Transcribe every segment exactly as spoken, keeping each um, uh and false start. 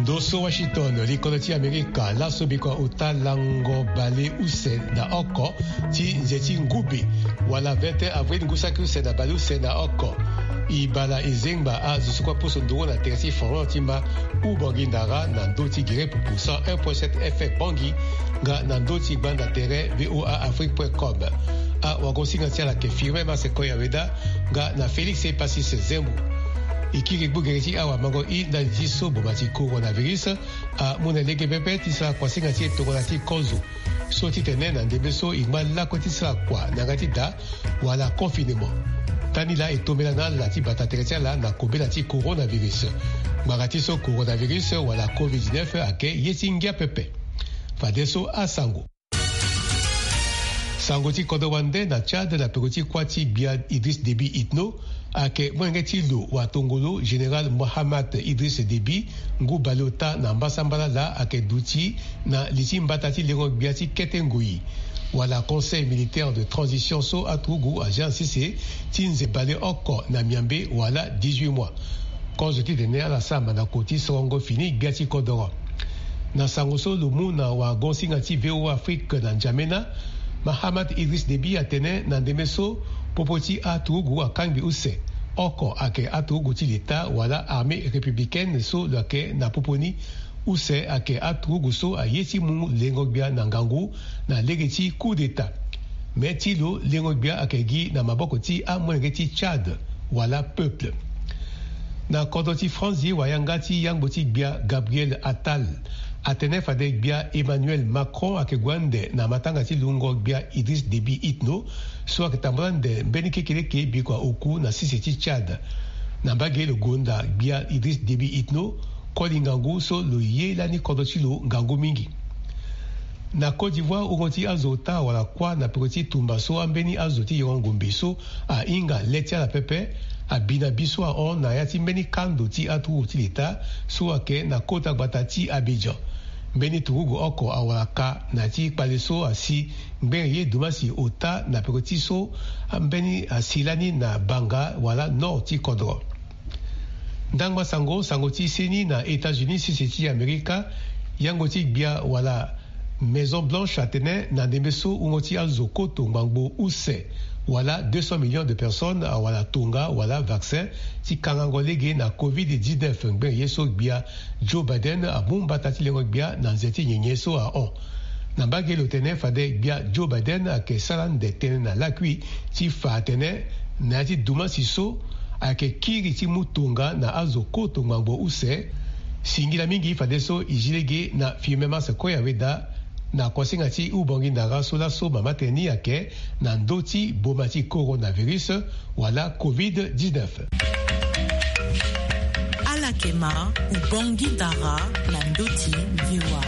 Ndo so Washington, likodro ti Amerika, laso bikua ota lango baleuse na oko ti nze ti ngube, wala vingt et un avril ngu saki use na baleuse na oko. E bala e zengba azo so kue aposo nduru na tere ti Florent ti ma Ubongi Ndara na ndö ti gere pupu cent un point sept F M Bangui, nga na ndö ti gbanda tere V O A Afrique point com. Awagosinga ti ala ayeke Firmin Masse Koyaweda, nga na Félix Epasis Zembo. E kiri gbu gere ti awamango i ndali ti so boma ti coronavirus amu na lege pepe ti sara kuasinga ti e tongana ti kozo. So titene na ndembe so e ngba lakue ti sara kua na yanga ti da wala confinement. Ndani laa e tombela na ala ti bata tere ti ala na kobela ti coronavirus. Ngbanga ti so coronavirus wala covid dix-neuf ayeke ye ti ngia pepe. Fadeso asango. Sango ti kodro wande na Tchad na peko ti kuâ ti gbia Idriss Déby Itno, ayeke molenge ti lo watongolo général Mohamed Idriss Déby, ngu baleota na mbasambala laa ayeke duti na li ti mbata ti lengo gbia ti kete ngoi, wala Conseil militaire de transition so aturugu azia na sese ti nze baleoko na miambe wala dix-huit mois. Kozo titene ala sara mandako ti sorongo fini gbia ti kodoro. Na sango so lo mu na wagosinga ti V O A Afrique na N'Djamena, Mahamat Idriss Déby atene na ndembe so popo ti aturugu akangbi use. Oko ayeke aturugu ti leta wala armée républicaine so lo yeke na popo ni. Use ayeke aturugu so aye ti mu lengo gbia na ngangu na lege ti coup d'état. Me ti lo lengo gbia ayeke gi na maboko ti amolenge ti Tchad wala peuple. Na kodro ti France, wayanga ti yangbo ti gbia Gabriel Attal atene fade gbia Emmanuel Macron ayeke gue ande na matanga ti lungo gbia Idriss Déby Itno, so ayeke tambula ande mbeni kekeleke bikua oku na sese ti Tchad. Na mbage lo gonda gbia Idriss Déby Itno, koli ngangu so lo ye lani kodro ti lo ngangu mingi. Na Côte d'Ivoire, wungo ti azo ota wala kuâ na peko ti tumba so ambeni azo ti yengo ngombe so ahinga le ti ala pepe abi na bi so ahon na ya ti mbeni kando ti aturugu ti leta so ayeke na kota gbata ti Abidjan. Mbeni turugu oko awara ka na ya ti kpale so asi ngbene ye dumasi ota na peko ti so ambeni asi lani na banga wala nord ti kodro. Ndangba sango, sango ti seni na États-Unis, sese ti Amerika, yango ti gbia wala Maison Blanche atene na ndembe so wungo ti azo koto ngbangbo use wala deux cents millions de personnes awara tonga wala vaccin ti kangango lege na covid dix-neuf ngbene ye so gbia Joe Biden amu mbata ti lengo gbia na nze ti nyenye so ahon. Na mbage lo tene fade gbia Joe Biden ayeke sara ande tënë na lakui ti fa atene na ya ti dumasi so ayeke kiri ti mu tonga na azo koto ngbangbo use. Singila mingi fadeso e zi lege na Firmin Masse Koyaweda na kuasinga ti Ubongi Ndara so laso mama tene ni ayeke na ndö ti boma ti coronavirus wala covid dix-neuf. Ala yeke ma Ubongi Ndara na ndö ti V O A.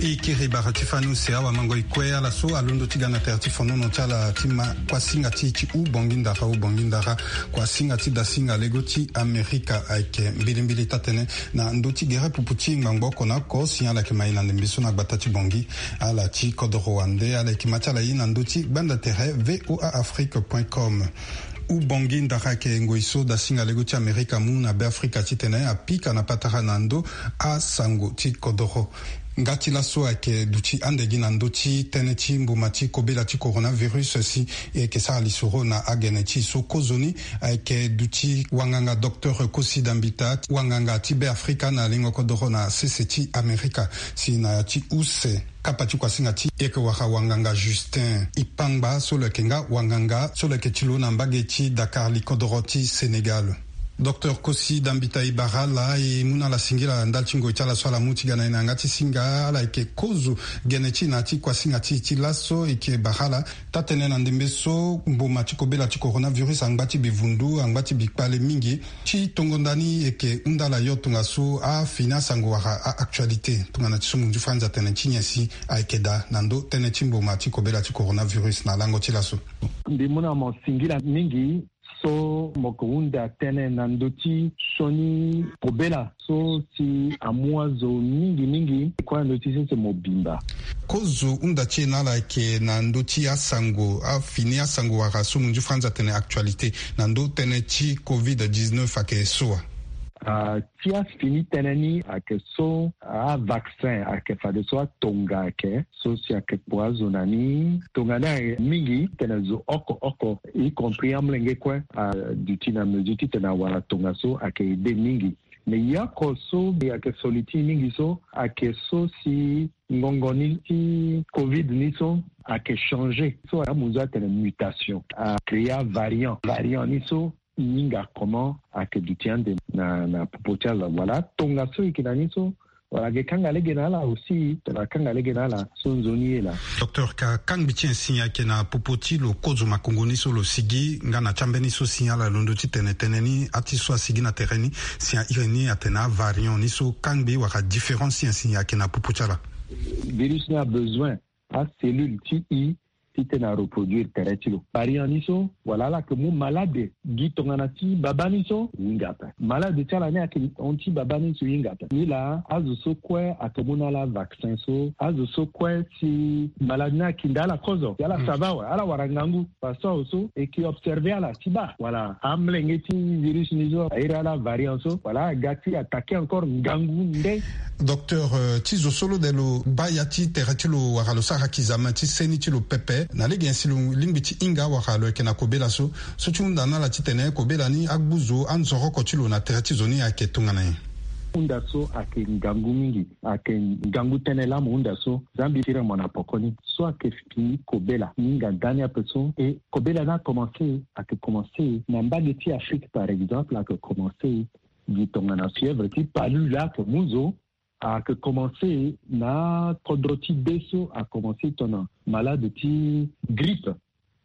E kiri bara ti fani use awamango e kue ala so alondo ti ga na tere ti fonono ti ala ti ma kuasinga ti ti Ubongi Ndara, Ubongi Ndara, kuasinga ti dasinga lego ti Amerika ayeke mbilimbili taa-tënë na ndö ti gere pupu ti ngbangbo oko na oko si ala yeke ma e na ndembe so na gbata ti Bangui. Ala ti kodoro wande ala yeke ma ti ala ye na ndö ti gbanda tere V O A Afrique point com. Ubongi Ndara ayeke ngoi so dasinga lego ti Amerika amu na Beafrika titene apika na patara na ndo asango ti kodoro. Nga ti laso ayeke duti ande gi na ndö ti tënë ti mboma ti kobela ti coronavirus si e yeke sara lisoro na agene ti e so kozoni ayeke duti wanganga docteur Kosi Dambita, wanganga ti Beafrika na lingo kodoro na sese ti Amerika, si na ya ti use kapa ti kuasinga ti e yeke wara wanganga Justin Ipangba so lo yeke nga wanganga so lo yeke ti lo na mbage ti Dakar, likodoro ti Sénégal. Docteur Kosi Dambita, e bara ala, e mu na ala singila ndali ti ngoi ti ala so ala mu ti ga na e na yanga ti singa. Ala yeke kozo gene ti e na ya ti kuasinga ti e ti laso. E yeke bara ala taa-tënë na ndembe so mboma ti kobela ti coronavirus angba ti bivundu, angba ti bikpale mingi. Ti tongo nda ni e yeke hunda ala yo tongaso afini asango wala a-actualité tongana ti so munzu franzi atene ti nyen si ayeke daa na ndo tënë ti mboma ti kobela ti coronavirus na lango ti laso. Mbi mu na mo singila mingi So mo ke hunda tënë na ndö ti sioni kobela so si amu azo mingi mingi kue na ndö ti sese mobimba. Kozo hunda ti e na ala ayeke na ndö ti asango, afini asango wala so munzu franzi atene actualité, na ndö tënë ti covid dix-neuf ayeke so wa? Ah, ti afini tënë ni ayeke so, ah, avaccin ayeke fadeso atonga ayeke so si ayeke kpo azo na ni. Tongana mingi tene zo oko oko, y compris amolenge kue, aduti na mesure titene awara tongaso ayeke aidé mingi. Mais ye oko so ayeke soliti mingi so ayeke so si ngongo ni ti covid ni so ayeke changé, so amu zo atene mutation, acréa variant. Variant ni so e hinga comment ayeke duti ande na, na popo ti ala. Voilà, tongaso e yeke na ni so, voilà, ayeke kanga lege na ala aussi, tongana akanga lege na ala so nzoni ye laa. Docteur, ka kangbi ti nyen si ayeke na popo ti lo kozo makongo ni so lo sigi nga na ti ambeni so si ala londo ti tene tënë ni, ati so asigi na tere ni, si airi ni atene avariant ni so, kangbi wala différence ti nyen si ayeke na popo ti ala? Virus ni abezoin acellule ti e titene areproduire tere ti lo. Variant ni so, wala ala yeke mu malade gi tongana ti babâ ni so, e hinga ape. Malade ti ala ni ayeke hon ti babâ ni so, e hinga ape. Ni laa azo so kue ayeke mu na ala vaccin so, azo so kue si malade ni akinda ala kozo, si ala sava awe, ala wara ngangu. Parce que awe so e ke observer ala ti baa, wala, amolenge ti virus ni so airi ala variant so, wala, aga ti attaquer encore ngangu nde. Docteur, euh, ti zo so lo de lo baa ya ti tere ti lo wala lo sara examen ti seni ti lo pepe, na lege nyen si lo lingbi ti hinga wala lo yeke na kobela so, so ti hunda na ala titene kobela ni agbu zo, anzoroko ti lo na tere ti zo ni ayeke tongana nyen? Hunda so ayeke ngangu mingi, ayeke ngangu tënë laa mo hunda so, za mbi tiri mo na poko ni. So ayeke fini kobela, e hinga ndani ape so, e kobela ni akomanse, ayeke komanse na mbage ti Afrique par exemple, ayeke komanse gi tongana fièvre ti palu laa ayeke mu zo, ayeke komanse na kodro ti be so, akomanse tongana malade ti grippe.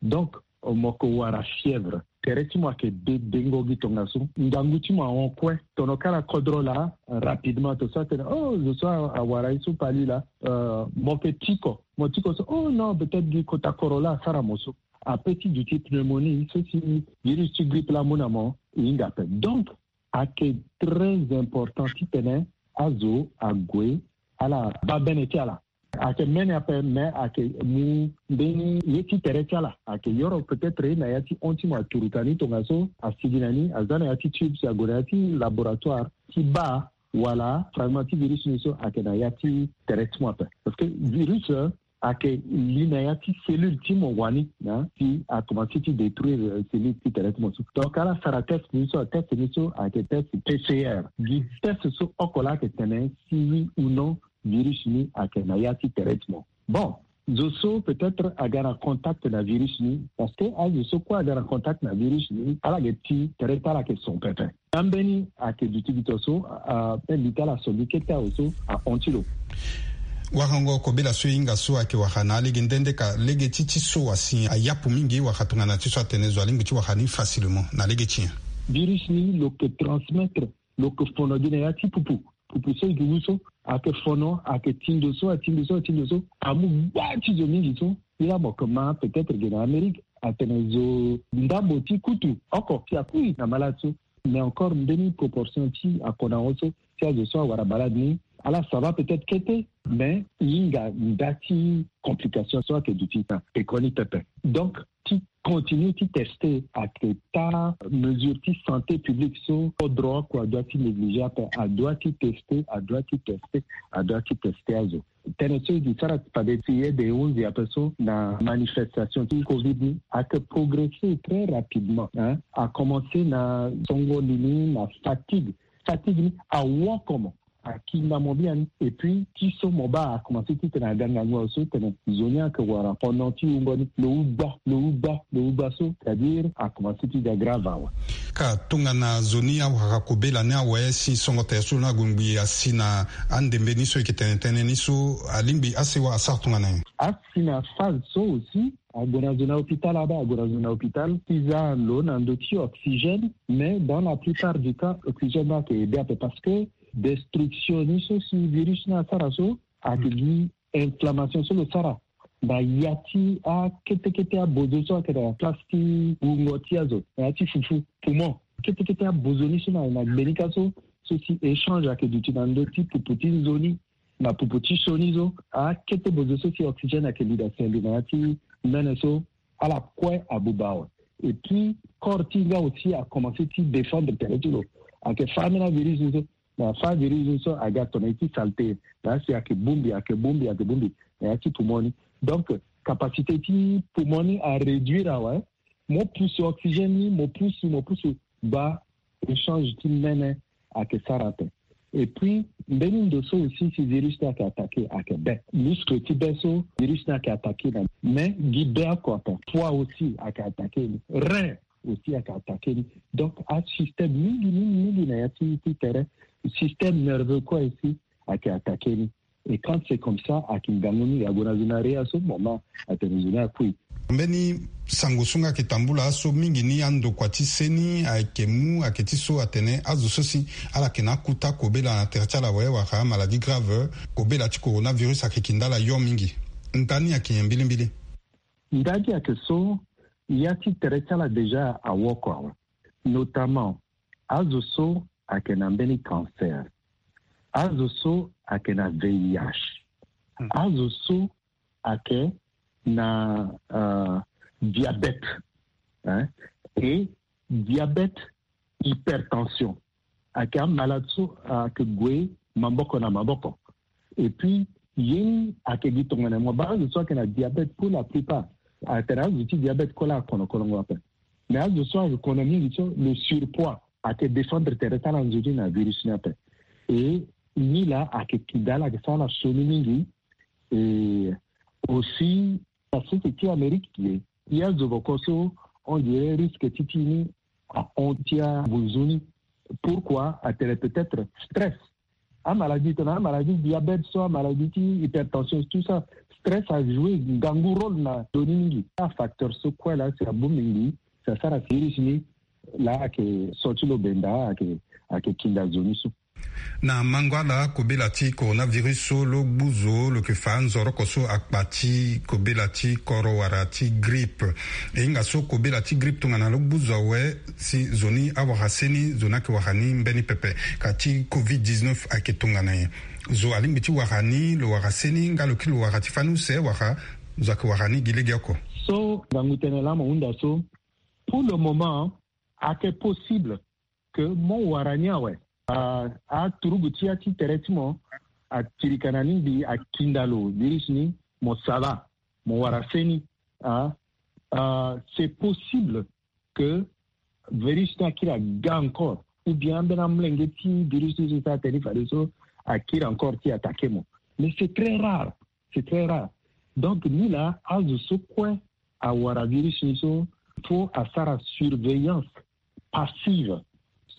Donc mo ke wara fièvre, tere ti mo ayeke de dengo gi tongaso, ngangu ti mo ahon kue. Tongana kara kodro laa, rapidement to so atene, oh, zo so a- awara ye so palu laa, euh, mo ke tiko, mo tiko so, oh non, peut-être gi kota koro laa asara mo so. Ape ti duti pneumonie so si virus ti grippe laa amu na mo, e hinga ape. Donc ayeke très important titene azo ague ala baa bene ti ala. Ayeke mbeni ape, mais ayeke mu mbeni ye ti tere ti ala. Ayeke yoro peut-être na ya ti hon ti mo aturuka ni tongaso, asigi na ni, aza na ya ti tube, si ague na ya ti laboratoire ti baa wala fragment ti virus ni so ayeke na ya ti tere ti mo ape. Parce que virus, euh, ayeke li na ya ti cellule ti mo wani, hein, si akomanse ti détruire, euh, cellule ti tere ti mo so. Donc ala sara test ni so, test ni so ayeke test P C R. Gi test so oko laa ayeke tene si oui ou non virus ni ayeke na ya ti tere ti mo. Bon, zo so peut-être aga na contact na virus ni, parce que azo so kue aga na contact na virus ni, ala yeke ti tere ti ala ayeke son pepe. Ambeni ayeke duti gi to so, a, a, pe mbi ti ala so gi kete awe so ahon ti lo. Warango kobela so e hinga so ayeke wara na alege nde nde ka lege ti ti so wa si ayapu mingi, wara tongana ti so atene zo alingbi ti wara ni facilement na lege ti nyen? Virus ni lo ke transmettre, lo ke fono gi na ya ti pupu. Pupu so e gi wu so, ayeke fono, ayeke ti ndo so, ati ndo so, ati ndo so, amu gba ti zo mingi so. Ye laa mo ke ma peut-être ge na Amérique, atene zo ndambo ti kutu oko si akui na malade so. Mais encore mbeni proportion ti akona wo so, ti azo so awara malade ni, ala sava peut-être kete, mais e hinga nda ti complication so ayeke duti na pekoni pepe. Donc ti continue ti tester, ayeke taa mesure ti santé publique so kodro oko adoit ti négliger ape, adoit ti tester, adoit ti tester, adoit ti tester azo. Tënë so e ke sara fade ti ye de onze ape so na manifestation ti covid ni ayeke progresser très rapidement, hein. Akomanse na songo li ni na fatigue. Fatigue ni awoko mo, akinda mo biani. Et puis ti so mo baa akomanse titene aga ngangu awe so tene zo ni ayeke wara pendant ti wungo ni lo wu gba, lo wu gba, lo wu gba so, c'est-à-dire akomanse ti ga grave awe. Ka tongana zo ni awara kobela ni awe si songo tere so lo ni ague ngbii asi na andembe ni so e yeke tene tënë ni so, alingbi asewa asara tongana nyen? Asi na phase so aussi, ague na zo na hôpital, abaa ague na zo na hôpital ti za lo na ndö ti oxygène, mais dans la plupart du temps oxygène ni ayeke aider ape parce que destruction ni so si virus ni asara so ayeke gi inflammation so lo sara. na ya ti akete kete abozo so ayeke na place ti wungo ti azo na ya ti fufu, poumon. Kete kete abozo ni so na na gbenika so, so si échange ayeke duti na ndö ti pupu ti nzoni na pupu ti sioni so, akete bozo so si oxygène ayeke li daa si alo na ya ti mene so, ala kue abuba awe. Et puis corps ti nga aussi a commencé ti défendre tere ti lo. Ayeke fâ ambeni avirus ni so, na fâ virus ni so aga tongana ye ti saleté, na ya si ayeke bongbi, ayeke bongbi, ayeke bongbi na ya ti poumon ni. Donc capacité ti poumon ni aréduire awe. Mo pusu oxygène ni, mo pusu, mo pusu, baa échange ti mene ayeke sara ape. Et puis mbeni ndo so aussi si virus ni ayeke attaqué ayeke be. Muscle ti be so virus ni ayeke attaqué na, mais gi be oko ape. Poids aussi ayeke attaqué ni, rein aussi ayeke attaqué ni. Donc asystème mingi mingi mingi na ya ti ti tere, système nerveux kue aussi ayeke attaqué ni. Et quand c'est comme ça, ayeke ngangu mingi. Ague na zo na réa so, mama atene zo ni akui. Mbeni sango so nga ayeke tambula so mingi ni, andokua ti se ni ayeke mu ayeke ti so atene azo so si ala yeke na akuta kobela na tere ti ala awe wala maladie grave, kobela ti coronavirus ayeke kinda ala yo mingi. Ndani ayeke nyen mbilimbili? Ndani ayeke so ya ti tere ti ala déjà awoko awe, notamment azo so ayeke na mbeni cancer, azo so ayeke na V I H, azo so ayeke na euh, diabète, hein, et diabète, hypertension, ayeke amalade so ayeke gue maboko na maboko. Et puis ye ni ayeke gi tongana mo baa azo so ayeke na diabète, pour la plupart atene azo ti diabète kue la akono kolongo ape. Mais azo so ayeke kono mingi so, le surpoids ayeke défendre tere ti ala nzoni na virus ni ape. Et ni la ayeke kinda ala ayeke sara ala sioni mingi. Et aussi na sese ti Amérique, ye ti azo boko so on dirait risque ti ti ni ahon ti abunzu ni. Pourquoi? Atene peut-être stress. Amaladie tongana amaladie diabète so, amaladie ti hypertension, tout ça, stress ajoue ngangu rôle na ndö ni mingi. Afacteur so kue la si abongbi ngi si asara virus ni, la ayeke so ti lo benda, ayeke ayeke kinda zo ni so. Na mango ala kobela ti coronavirus so, lo gbu zo lo yeke fa nzoroko so akpa ti kobela ti koro wala ti grippe. E hinga so kobela ti grippe tongana lo gbu zo awe, si zo ni awara se ni, zo ni ayeke wara ni mbeni pepe. Ka ti covid dix-neuf ayeke tongana nyen? Zo alingbi ti wara ni, lo wara se ni, nga lo kiri lo wara ti fani use wala zo ayeke wara ni gi legeoko? So ngangu tënë laa mo hunda so, pour le moment ayeke possible que mo wara ni awe. Ah, aturugu ti ya ti tere ti mo atirika na ni ngbii, akinda lo virus ni, mo sava, mo wara se ni. Ah, ah, c'est possible que virus ni akiri aga encore, ou bien ambeni amolenge ti virus ni so si atene ni fadeso akiri encore ti attaqué mo. Mais c'est très rare, c'est très rare. Donc ni la azo so kue awara virus ni so, faut asara surveillance passive.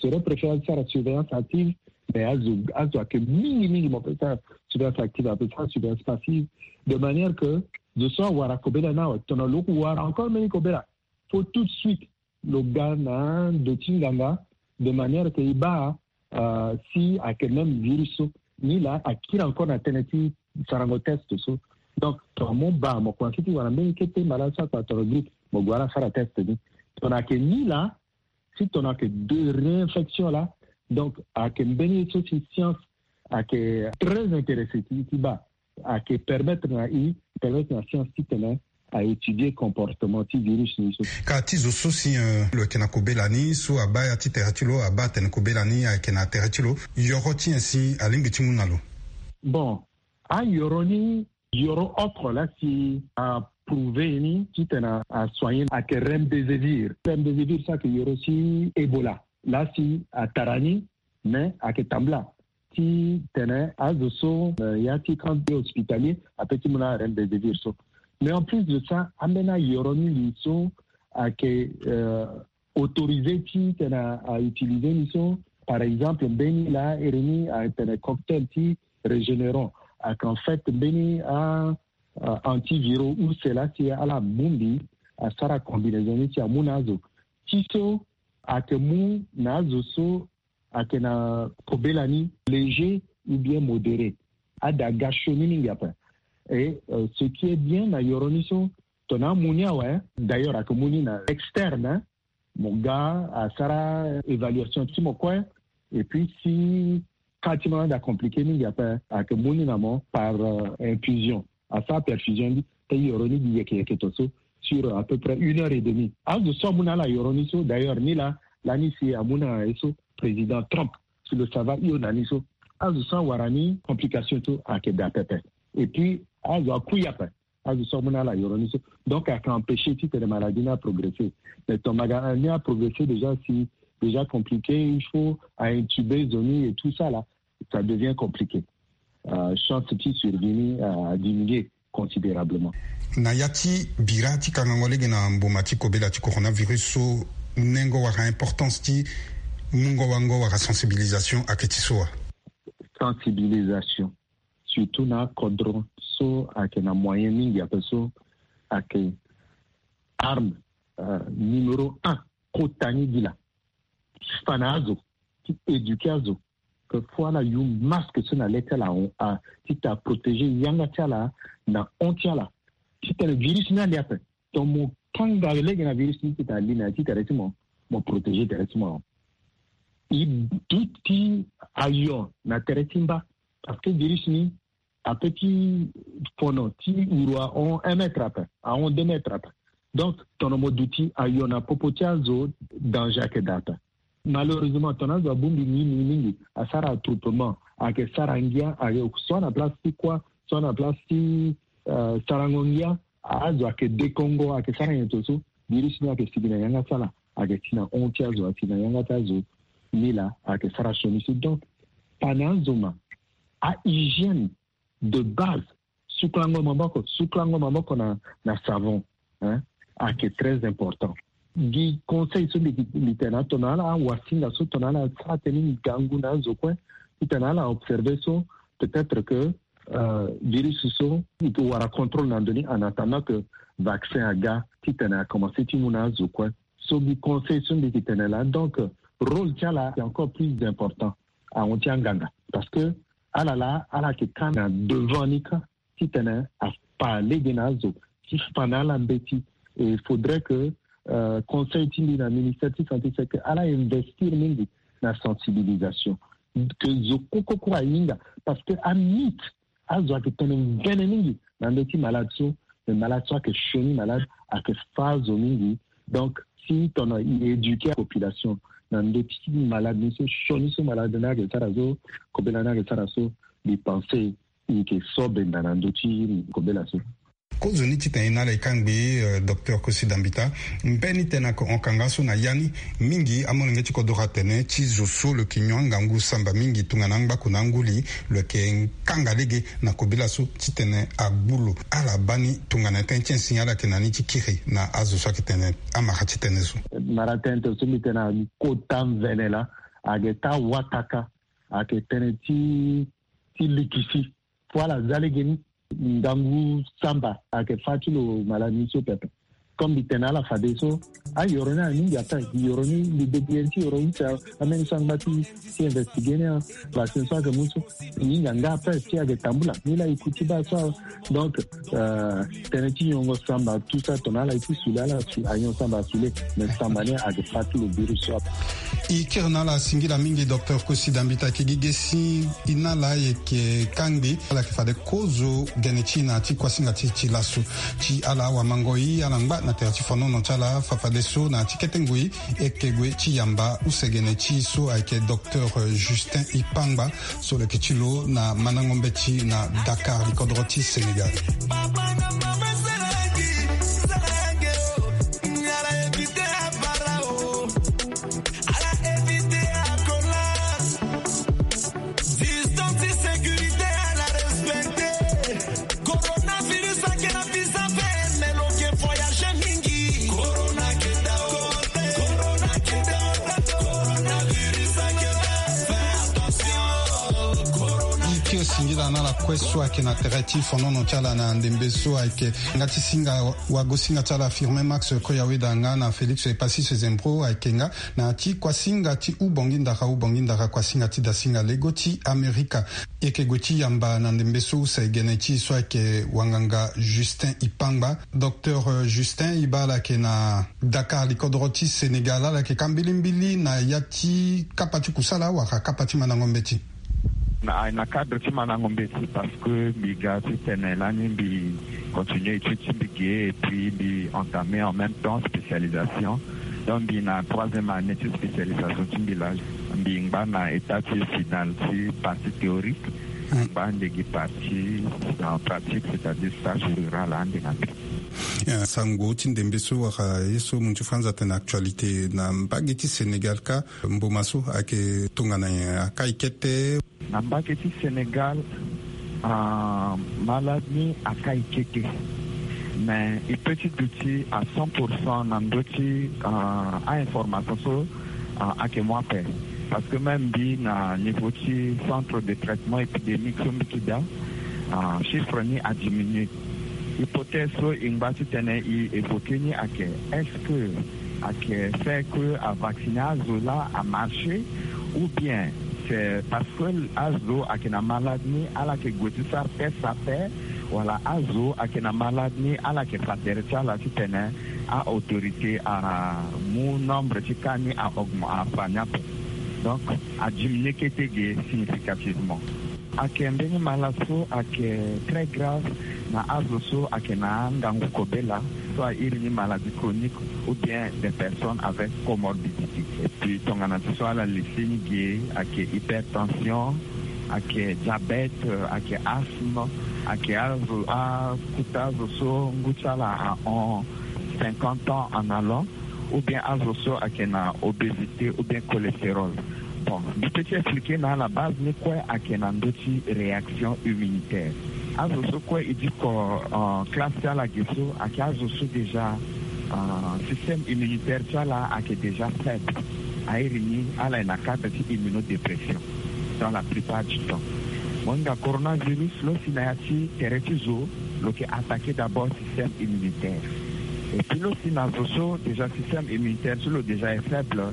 Serait préférable asara surveillance active, mais azo azo ayeke mingi mingi mo peut sara surveillance active, ape sara surveillance passive, de manière que zo so awara kobela ni awe, tongana lo wara encore mbeni kobela, faut tout de suite lo ga na ndo ti nganga, de manière que e baa, euh, si ayeke même virus so. Ni la akiri encore na tënë ti sarango test so. Donc tongana mo baa mo komanse ti wara mbeni kete malade so akpara tongana grippe, mo gue ala sara test ni. Tongana ayeke ni la, si tongana ayeke de réinfection la, donc ayeke mbeni ye so si science ayeke très intéressé ti ti baa, ayeke permettre na i, permettre na science titene a étudier comportement ti virus ni so. Ka ti zo so si, euh, lo yeke na kobela ni so abaa ya ti tere ti lo, abaa atene kobela ni ayeke na tere ti lo, yoro ti nyen si alingbi ti mu na lo? Bon, ayoro ni, yoro oko la si aprouvé ni titene asoigné ayeke remdesivir. Remdesivir so ayeke yoro ti Ebola. La si atara ni, mais ayeke tambula titene azo so, euh, ya ti camp hospitalier ape ti mu na remdesivir so. Mais en plus de ça, ambeni ayoro mingi so ayeke, euh, autorisé titene a utiliser ni so, par exemple mbeni la iri ni atene cocktail ti Regeneron, ayeke en fait mbeni a, a antiviraux use la si ala bongbi asara combinaison ni si amu na azo. Ti so ayeke mu na azo so ayeke na kobela ni léger ou bien modéré. Ada ga sioni mingi ape. Et ce qui est bien na yoro ni so, tongana amu ni awe, d'ailleurs ayeke mu ni na externe, mo ga asara évaluation ti mo kue. Et puis si ka ti mo na da compliqué mingi ape, ayeke mu ni na mo par infusion, asara perfusion ni. Te yoro ni gi yeke yeke to so sur à peu près une heure et demie. Azo so amu na ala yoro ni so, d'ailleurs ni la, lani si amu na ye so président Trump si lo sava hio na ni so, azo so awara ni complication so ayeke daa pepe. Et puis azo akui ape, azo so amu na ala yoro ni so. Donc ayeke empêcher titene maladie ni aprogressé. Mais tongana maladie ni aprogressé déjà, si déjà compliqué, il faut aintubé zo ni et tout ça là, ça devient compliqué. Chance ti survie ni adiminué considérablement. Na ya ti bira ti kangango lege na mbuma ti kobela ti coronavirus so, nengo wala importance ti mungo wango wala sensibilisation ayeke ti so wa? Sensibilisation, surtout na akodro so ayeke na moyen mingi ape so, ayeke arme numéro un kota ni gi laa. Ti fa na azo, ti éduqué azo que faut ala yu masque so na le ti ala, titene aprotégé yanga ti ala na hon ti ala. Titene virus ni ali ape, donc mo kanga lege na virus ni titene ali na ya ti tere ti mo, mo protégé tere ti mo. E duti ayo na tere ti mba, parce que virus ni ape ti fono ti uru ahon un mètre ape, ahon deux mètres ape. Donc tongana mo duti ayo na popo ti azo, danger ayeke daa ape. Malheureusement tongana azo abongbi mingi mingi mingi, asara attroupement, ayeke sara ngia, ayeke soit na place ti kuâ, soit na place ti sarango ngia. Azo ayeke dekongo, ayeke sara nyen to so, virus ni ayeke sigi na yanga ti ala, ayeke ti na hon ti azo, ayeke ti na yanga ti azo. Ni laa ayeke sara sioni so. Donc pa na azo ma, ahygiène de base, sukulango maboko, sukulango maboko na, na savon, hein, ayeke très important. Gi conseil so mbi, mbi tene na tongana ala awasinga so, tongana ala sara tënë ngangu na azo kue, titene ala observé so, peut-être que virus so e wara contrôle na ndö ni, en attendant que vaccin aga titene akomanse ti mu na azo kue. So gi conseil so mbi yeke tene laa. Donc rôle ti ala ayeke encore plus important ahon ti anganga, parce que ala laa ala yeke ka na devant ni kâ titene afa lege na azo ti fa na ala mbeti. Et il faudrait que conseil ti mbi na ministère ti santé c'est que ala investir mingi na sensibilisation, que zo kue kue kue ahinga, parce que amythe, azo ayeke tene mvene mingi na ndö ti malade so. Mais malade so ayeke sioni malade, ayeke fâ azo mingi. Donc si tongana e éduqué apopulation na ndö ti malade ni so, sioni so malade ni ayeke sara so, kobela ni ayeke sara so, mbi pensé e yeke so benda na ndö ti kobela so. Kozo ni titene e na ala e kangbi, docteur Kosi Dambita, mbeni tënë ayeke hon kanga so na ya ni. Mingi amolenge ti kodro atene ti zo so lo yeke nyon angangu samba mingi tongana angbaku na anguli, lo yeke kanga lege na kobela so titene agbu lo. Ala baa ni tongana tënë ti insinga ala yeke na ni ti kiri na azo so ayeke tene amara ti tënë so. Mara tënë so mbi tene na kota mvene laa, ayeke taa wataka, ayeke tënë ti, ti likisi. Fo ala za lege ni ngangu samba ayeke fâ ti lo malade ni so pepe. Comme mbi tene na ala fadeso, ayoro ni aye mingi ape. Yoro ni mbi débrouillé ti yoro ni si ambeni so angba ti, ti investigué ni, vaccin so ayeke mu so, e hinga nga ape si ayeke tambula. Ni laa e ku ti baa so. Donc tënë ti nyongo samba tout ça, tongana ala ye ti sule ala, anyon samba asule. Mais samba ni ayeke fâ ti lo virus so ape. E kiri na ala singila mingi docteur Kosi Dambita. Ayeke gi ge si e na ala e yeke kangbi ala yeke fade kozo gene ti e na ya ti kuasinga ti e ti laso. Ti ala awamango e, ala ngba na tere ti fonono ti ala. Fafadeso na ya ti kete ngoi e yeke gue ti yamba use gene ti e so ayeke docteur Justin Ipangba so lo yeke ti lo na mandango mbeti na Dakar, likodro ti Sénégal. E kiri si Ngila na ala kue so ayeke na tere ti fonono ti ala na ndembe so ayeke nga ti singa wagosinga ti ala Firmin Max Koyaweda nga na Félix Epasis Zembro ayeke nga na ti kuasinga ti Ubongi Ndara, Ubongi Ndara, kuasinga ti dasinga lego ti Amerika. E yeke gue ti yamba na ndembe so use gene ti e so ayeke wanganga Justin Ipangba. Docteur, euh, Justin, e baa ala yeke na Dakar, likodro ti Sénégal, ala yeke ka mbilimbili na ya ti kapa ti kusala wala kapa ti mandango mbeti? Na, na cadre ti mandango mbeti, parce que mbi ga titene lani mbi continuer étude ti mbi ge, et puis mbi entamer en même temps spécialisation. Donc mbi na troisième année ti spécialisation ti mbi la. Mbi ngba na état ti final ti partie théorique, ngba ande gi partie en pratique, c'est-à-dire stage rural ande na mbi. Eh, sango ti ndembe so wala ye so mu ti France atene actualité na mbage ti Sénégal ka, mboma so ayeke tongana nyen, akai kete? Na mbage ti Sénégal, ah, malade ni akai kete. Mais e peut ti duti à cent pour cent na ndö ti, ah, a-information so, ah, ayeke mu ape. Parce que même mbi na niveau ti centre de traitement épidémique so mbi yeke daa, ah, chiffre ni adiminué. Hypothèse so e ngba titene e évoquer ni ayeke, est-ce que ayeke fait que avacciner azo laa amarché, ou bien c'est parce que azo ayeke na malade ni ala yeke gue ti sara test ape, wala azo ayeke na malade ni ala yeke fa tere ti ala titene a-autorité amu nombre ti cas ni a-augment, afa ni ape. Donc adiminué kete ge significativement. Ayeke mbeni malade so ayeke très grave na azo so ayeke na angangu kobela, so a iri ni maladie chronique, ou bien des personnes avec comorbidité. Et puis tongana ti so ala lisi ni ge, ayeke hypertension, ayeke diabète, ayeke asthme, ayeke azo, akota azo so ngu ti ala ahon cinquante ans en allant, ou bien azo so ayeke na obésité ou bien cholestérol. Bon, mbi peut ti expliquer na ala base ni kue ayeke na ndö ti réaction immunitaire. Azo so kue e diko, euh, classe ti ala ge so ayeke azo so déjà, euh, système immunitaire ti ala ayeke déjà faible. A iri ni ala yeke na cadre ti immunodépression dans la plupart du temps. Mo hinga coronavirus, lo si na ya ti tere ti zo, lo yeke attaquer d'abord système immunitaire. Et puis lo si na zo so déjà système immunitaire ti lo déjà est faible,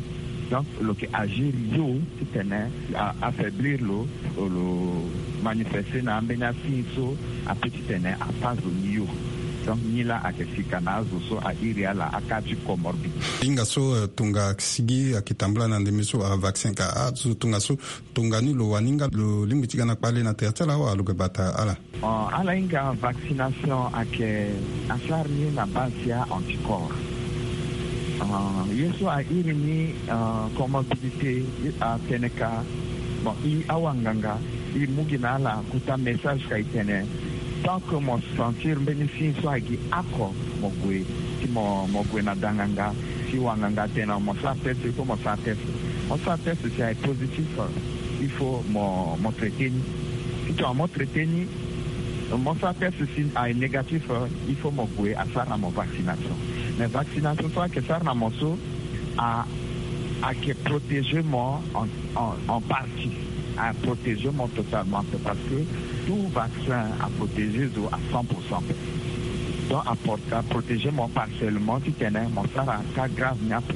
donc lo yeke agir yo titene a-affaiblir lo, lo manifester na ambeni asigne so ape titene afa zo ni yo. Donc ni laa ayeke sika na azo so a iri ala a cas ti comorbidité. Hinga so, euh, tongassigi ayeke tambula na ndembe so, ah, vaccin ka, azo tongaso, tongani lo wani nga lo lingbi ti ga na kpale na tere ti ala wala lo yeke bata ala? Euh, ala hinga vaccination ayeke asara ni na base ti a-anticorps. Euh, ye so a iri ni, euh, comorbidité, atene ka, bon, e awanganga, e mu gi na ala kota message ka e tene, tant que mo sentir mbeni signe so agi oko, mo gue, si mo, mo gue na danganga, si wanganga atene mo sara test, il faut mo sara test. Mo sara test, si aye positif, il faut mo, mo traiter ni. Si tongana mo traiter ni, mo sara test, si aye négatif, il faut mo gue asara na mo vaccination. Mais vaccination so ayeke sara na mo so, a, ayeke protéger mo en, en, en partie. A protéger mo totalement, c'est parce que tout vaccin a protéger zo à cent pour cent. Donc a por-, a protéger mo partiellement titene mo sara cas grave ni ape.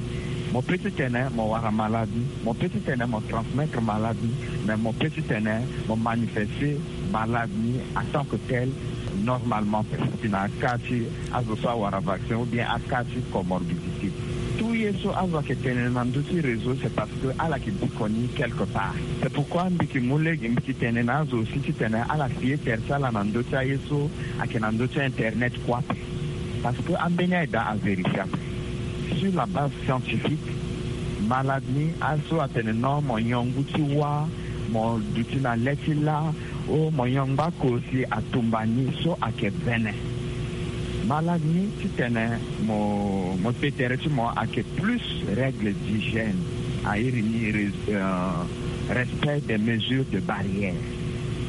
Mo peut titene mo wara malade ni, mo peut titene mo transmettre malade ni, mais mo peut titene mo manifester malade ni en tant que tel normalement, peut si na cas ti azo so awara vaccin ou bien a cas ti comorbidité. Tout ye so azo ayeke tene na ndö ti réseau, c'est parce que ala yeke diko ni quelque part. C'est pourquoi mbi yeke mu lege, mbi yeke tene na azo aussi titene ala fi ye tere ti ala na ndö ti aye so ayeke na ndö ti internet kue ape. Parce que ambeni aye daa avérifiable. Sur la base scientifique, malade ni, aye so atene non, mo nyon ngu ti wâ, mo duti na le ti lâ, o mo nyon ngbako si atumba ni, so ayeke vene. Malade ni titene mo, mo te tere ti mo ayeke plus règle d'hygiène. A iri ni res-, euh, respect des mesures de barrière.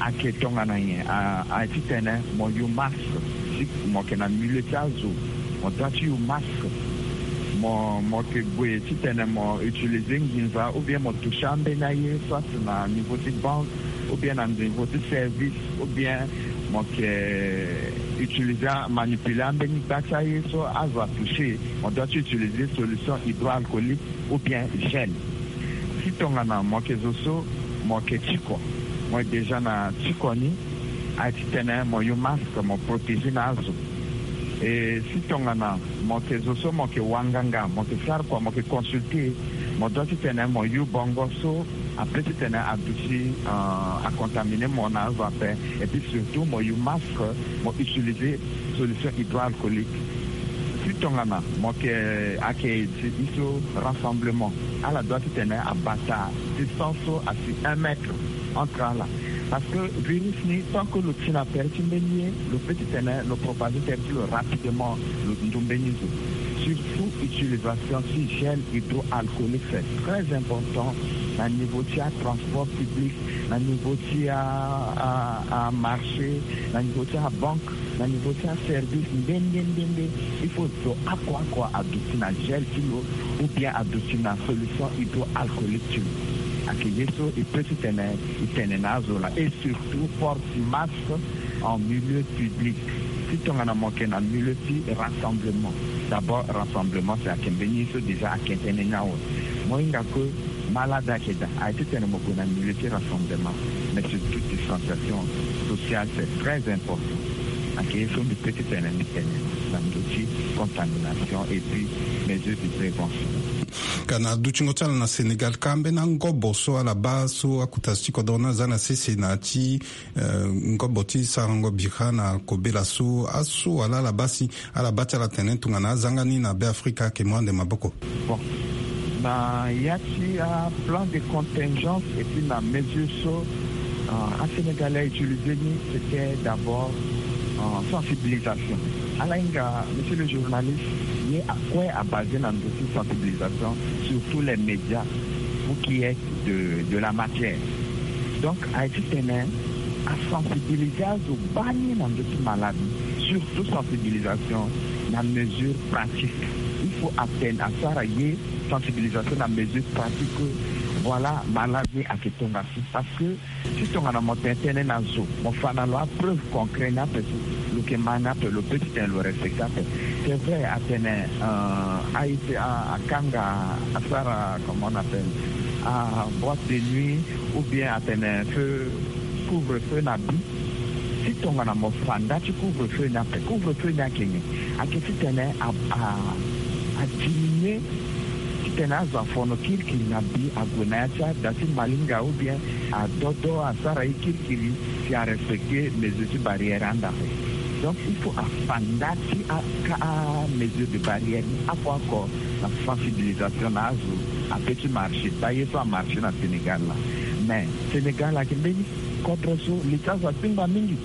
Ayeke tongana nyen? A, a titene mo yu masque, si mo yeke na milieu ti azo, mo doit ti yu masque. Mo, mo yeke gue titene mo utiliser nginza ou bien mo toucher ambeni aye, soit na niveau ti banque, ou bien na niveau ti service, ou bien mo yeke utiliser, manipuler ambeni gba ti aye so azo atoucher, mo doit ti utiliser solution hydroalcoolique ou bien gel. Si tongana mo yeke zo so mo yeke tiko, mo yeke déjà na tiko ni, aye titene mo use masque, mo protéger na azo. Et si tongana mo yeke zo so mo yeke wanganga, mo yeke sara kua, mo yeke consulter, mo doit titene mo use bongo so ape titene aduti acontaminer mo na azo ape. Et puis surtout mo use masque, mo utiliser solution hydroalcoolique. Si tongana mo yeke, ayeke ti so rassemblement, ala doit titene abata distance so asi un mètre entre ala. Parce que virus ni, tant que lo ti na tere ti mbeni ye, lo peut titene lo propager tere ti lo rapidement, lo ndu mbeni zo. Surtout utilisation ti gel hydroalcoolique, c'est très important na niveau ti atransport public, na niveau ti a, a, amarché, na niveau ti abanque, na niveau ti aservice nde nde nde nde. Il faut zo oko oko aduti na gel ti lo, ou bien aduti na solution hydroalcoolique ti lo. Ayeke ye so e peut titene e tene na azo laa. Et surtout porte masque en milieu public. Si tongana mo yeke na milieu ti rassemblement, d'abord rassemblement c'est, ayeke mbeni ye so déjà ayeke tene ni awe. Mo hinga que malade ayeke daa, aye titene mo gue na milieu ti rassemblement. Mais surtout distanciation sociale, c'est très important. Ayeke ye so mbi peut titene mbi tene na ndö ti contamination et puis mesure de prévention. Ka na dutingo ti ala na Sénégal, ka ambeni angobo so ala baa so akota ti kodro ni aza na sese na ya ti, eh, ngobo ti sarango bira na kobela so, aso wala ala baa si ala baa ti ala tene tongana azanga ni na Beafrika ayeke mu ande maboko? Bon, na ya ti aplan de contingence et puis na mesure so, euh, aSénégalais autiliser ni, c'était d'abord, euh, sensibilisation. Ala hinga, monsieur le journaliste, ye akue abase na ndö ti sensibilisation, surtout les médias, vous qui êtes de, de la matière. Donc aye titene asensibiliser azo bani na ndö ti malade, surtout sensibilisation na mesure pratique. Il faut atteindre, asara ye sensibilisation na mesure pratique que, voilà, malade ni ayeke tongana si. Parce que si tongana mo tene tënë na zo, mo fa na lo apreuve concret ni ape so lo yeke ma ni ape, lo peut titene lo respecter ape. C'est vrai, atene, euh, aye ti a, akanga, asara, comment on appelle, aboîte de nuit, ou bien atene feu, couvre-feu na bi. Si tongana mo fa nda ti couvre-feu ni ape, couvre-feu ni ayeke nyen? Ayeke titene a, a, adiminuer titene azo afono kirikiri na bi, ague na ya ti ada ti malinga, ou bien adodo, asara ye kirikiri si arespecter mesure ti barrière anda ape. Donc il faut afa nda ti aka amesure de barrière ni oko oko na sensibilisation na azo ape ti marché. Baa ye so amarché na Sénégal laa. Mais Sénégal ayeke mbeni kodro so li ti azo atingba mingi.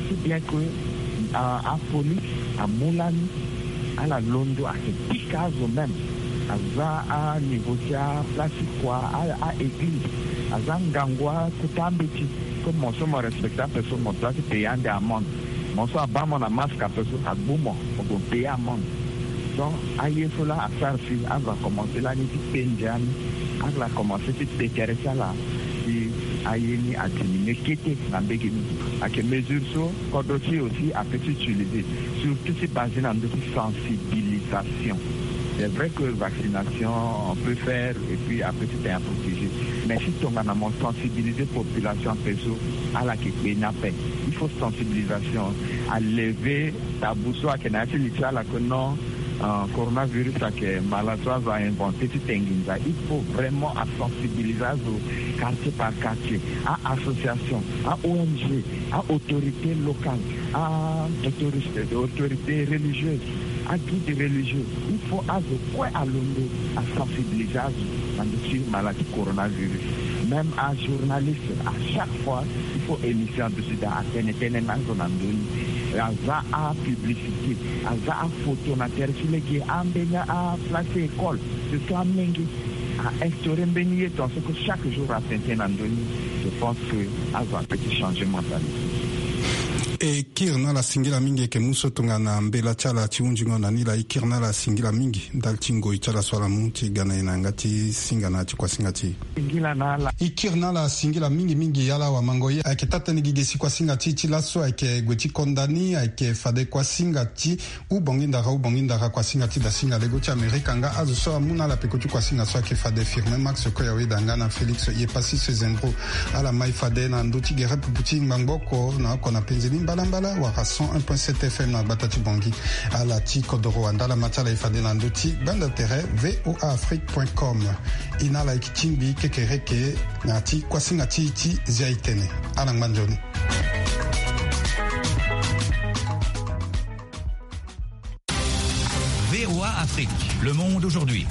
Si bien que, euh, apolice amu lani, ala londo, ayeke pika azo même. Aza aniveau ti aplace ti kua, a, a-église. Aza ngangu akota ambeti. Comme mo so mo respecter ape so, mo doit ti payer ande amende. Mo so abaa mo na masque ape so, agbu mo, mo gue payer amende. Donc aye so laa asara si azo akomanse lani ti kpe ndia ni, ala komanse ti kpe tere ti ala, si aye ni adiminuer kete na mbege ni. Ayeke mesure so kodro ti e aussi apeut ti utiliser, surtout ti basé na ndö ti sensibilisation. C'est vrai que vaccination, on peut faire et puis apeut ti tene aprotéger. Mais si tongana mo sensibiliser population ape so, ala yeke kpe ni ape. Il faut sensibilisation, alever tabou so ayeke na ya ti li ti ala que non, euh, coronavirus ayeke maladie so azo a-inventé ti te nginza. Il faut vraiment asensibiliser azo quartier par quartier, a-association, a-O N G, a-autorité locale, a-autorité, autorité religieuse, a-guide religieux. Il faut azo kue alondo asensibiliser azo na ndö ti maladie coronavirus. Même ajournaliste, à chaque fois il faut émission aduti daa atene tënë na azo na ndö ni. Aza apublicité, aza afoto na tere ti lege, ambeni aplace école, surtout amenge, a-instaurer mbeni ye tongaso que chaque jour atene tënë na ndö ni. Je pense que azo apeut ti changer mentalité. E kiri na ala singila mingi, e yeke mu so tongana mbela ti ala ti hunzingo na ni laa. E kiri na ala singila mingi ndali ti ngoi ti ala so ala mu ti ga na e na yanga ti singa na ya ti kuasinga ti e. E kiri na ala singila mingi mingi. Ala wamango ye, ayeke taa-tënë gi ge si kuasinga ti e ti laso, ayeke gue ti konda ni, ayeke fade kuasinga ti Hubongi ndara, hubongi ndara, kuasinga ti dasinga lego ti Amerika. Nga azo so amu na ala peko ti kuasinga so ayeke fade Firmin Max Koyaweda nga na Félix Yepassis Zendro. Ala mai fade na ndö ti gere pupu ti ngbangbo oko na oko na penzeli mbalambala wala cent un point sept F M na gbata ti Bangui. Ala ti kodoro andala ma ti ala e fade na ndö ti bande d'intérêt V O A Afrique point com. E na ala e yeke tingbi kekereke na ya ti kuasinga ti e ti zia e tene. Ala ngba nzoni. V O A Afrique, le monde aujourd'hui.